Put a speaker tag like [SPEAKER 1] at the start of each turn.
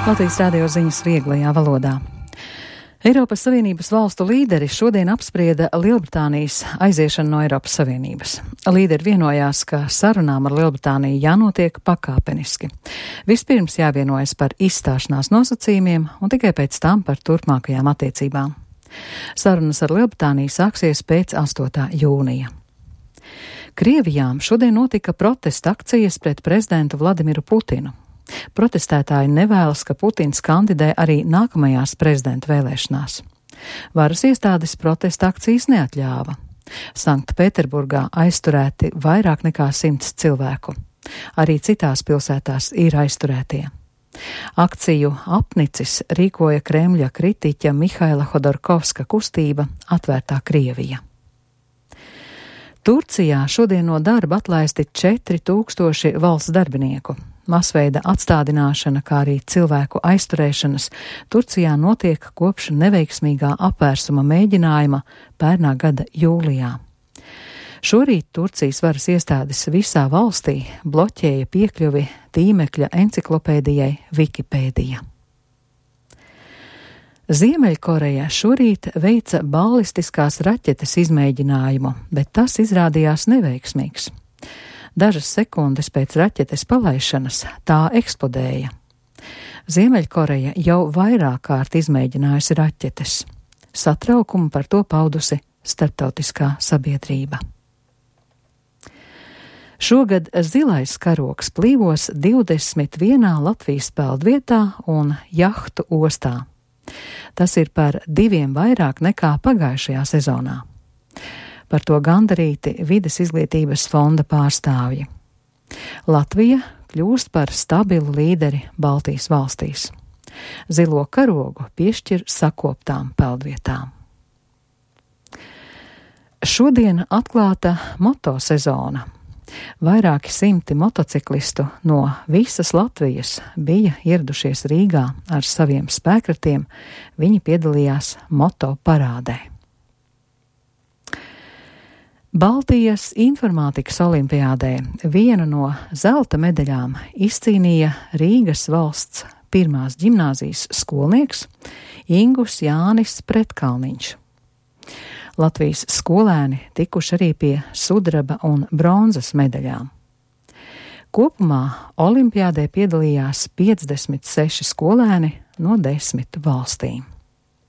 [SPEAKER 1] Latvijas radio ziņas vieglajā valodā. Eiropas Savienības valstu līderi šodien apsprieda Lielbritānijas aiziešanu no Eiropas Savienības. Līderi vienojās, ka sarunām ar Lielbritāniju jānotiek pakāpeniski. Vispirms jāvienojas par izstāšanās nosacījumiem un tikai pēc tam par turpmākajām attiecībām. Sarunas ar Lielbritāniju sāksies pēc 8. jūnija. Krievijā šodien notika protesta akcijas pret prezidentu Vladimiru Putinu. Protestētāji nevēlas, ka Putins kandidē arī nākamajās prezidenta vēlēšanās. Varas iestādes protesta akcijas neatļāva. Sanktpēterburgā aizturēti vairāk nekā 100 cilvēku. Arī citās pilsētās ir aizturētie. Akciju apnicis rīkoja Kremļa kritiķa Mihaila Hodorkovska kustība Atvērtā Krievija. Turcijā šodien no darba atlaisti 4000 valsts darbinieku. Masveida atstādināšana, kā arī cilvēku aizturēšanas Turcijā notiek kopš neveiksmīgā apvērsuma mēģinājuma pērnā gada jūlijā. Šorīt Turcijas varas iestādes visā valstī bloķēja piekļuvi tīmekļa enciklopēdijai Wikipēdija. Ziemeļkoreja šorīt veica balistiskās raķetes izmēģinājumu, bet tas izrādījās neveiksmīgs. Dažas sekundes pēc raķetes palaišanas tā eksplodēja. Ziemeļkoreja jau vairāk kārt izmēģinājusi raķetes. Satraukumu par to paudusi starptautiskā sabiedrība. Šogad zilais karogs plīvos 21. Latvijas peldvietā un jahtu ostā. Tas ir par 2 vairāk nekā pagājušajā sezonā. Par to gandarīti Vides izglītības fonda pārstāvji. Latvija kļūst par stabilu līderi Baltijas valstīs. Zilo karogu piešķir sakoptām peldvietām. Šodien atklāta motosezona. Vairāki 100 motociklistu no visas Latvijas bija ieradušies Rīgā ar saviem spēkratiem. Viņi piedalījās moto parādē. Baltijas informātikas olimpiādē vienu no zelta medaļām izcīnīja Rīgas valsts 1. ģimnāzijas skolnieks Ingus Jānis Pretkalniņš. Latvijas skolēni tikuši arī pie sudraba un bronzas medaļām. Kopumā olimpiādē piedalījās 56 skolēni no 10 valstīm.